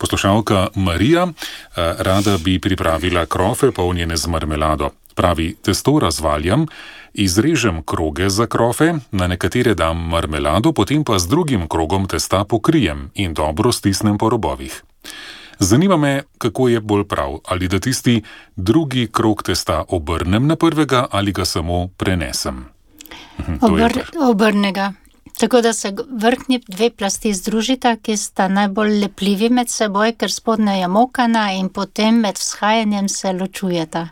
Poslušalka Marija rada bi pripravila krofe polnjene z marmelado. Pravi, testo razvaljam, izrežem kroge za krofe, na nekatere dam marmelado, potem pa z drugim krogom testa pokrijem in dobro stisnem po robovih. Zanima me, kako je bolj prav, ali da tisti drugi krog testa obrnem na prvega ali ga samo prenesem. Obrnega. Tako da se vrhnji dve plasti združita, ki sta najbolj lepljivi med seboj, ker spodnja je mokana in potem med vzhajanjem se ločujeta.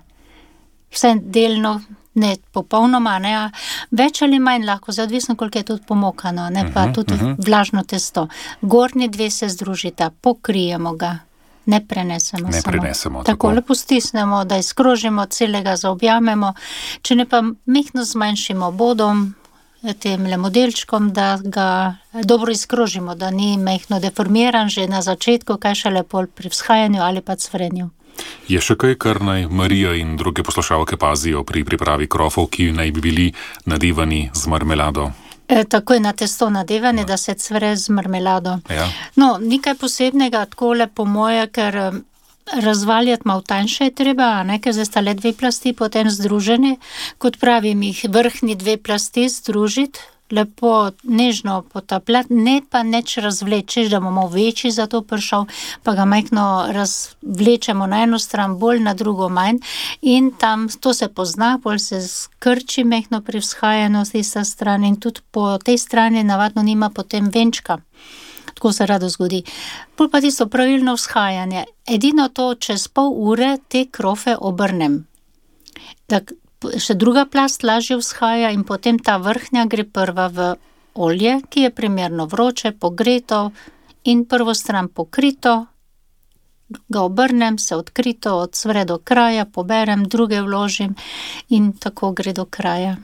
Vse delno, ne popolnoma, ne, več ali manj lahko, odvisno koliko je tudi pomokano, ne pa tudi vlažno testo. Gornji dve se združita, pokrijemo ga, ne prenesemo samo. Takole postisnemo, da izkrožimo, celega zaobjamemo, če ne pa mehko zmanjšimo bodom, tem modelčkom, da ga dobro izkrožimo, da ni mehko deformiran že na začetku, kaj šele pol pri vzhajanju ali pa cvrenju. Je še kaj, kar naj Marija in druge poslušalke pazijo pri pripravi krofov, ki naj bi bili nadevani z marmelado? Tako je na testo nadevane, da se cvre z marmelado. Ja. No, nekaj posebnega, takole po moje, ker razvaljati malo tanjše je treba, ker zdaj sta le dve plasti potem združeni, kot pravim, jih vrhnji dve plasti združiti, lepo nežno potapljati, ne pa neč razvleči, da bomo večji za to prišel, pa ga majhno razvlečemo na eno stran, bolj na drugo manj in tam to se pozna, bolj se skrči mehno pri vzhajanju z tista stran in tudi po tej strani navadno nima potem venčka. Tako se rado zgodi. Pol pa tisto pravilno vzhajanje. Edino to, čez pol ure te krofe obrnem. Še druga plast lažje vzhaja in potem ta vrhnja gre prva v olje, ki je primerno vroče, pogreto in prvo stran pokrito, ga obrnem, se odkrito, odsvre do kraja, poberem, druge vložim in tako gre do kraja.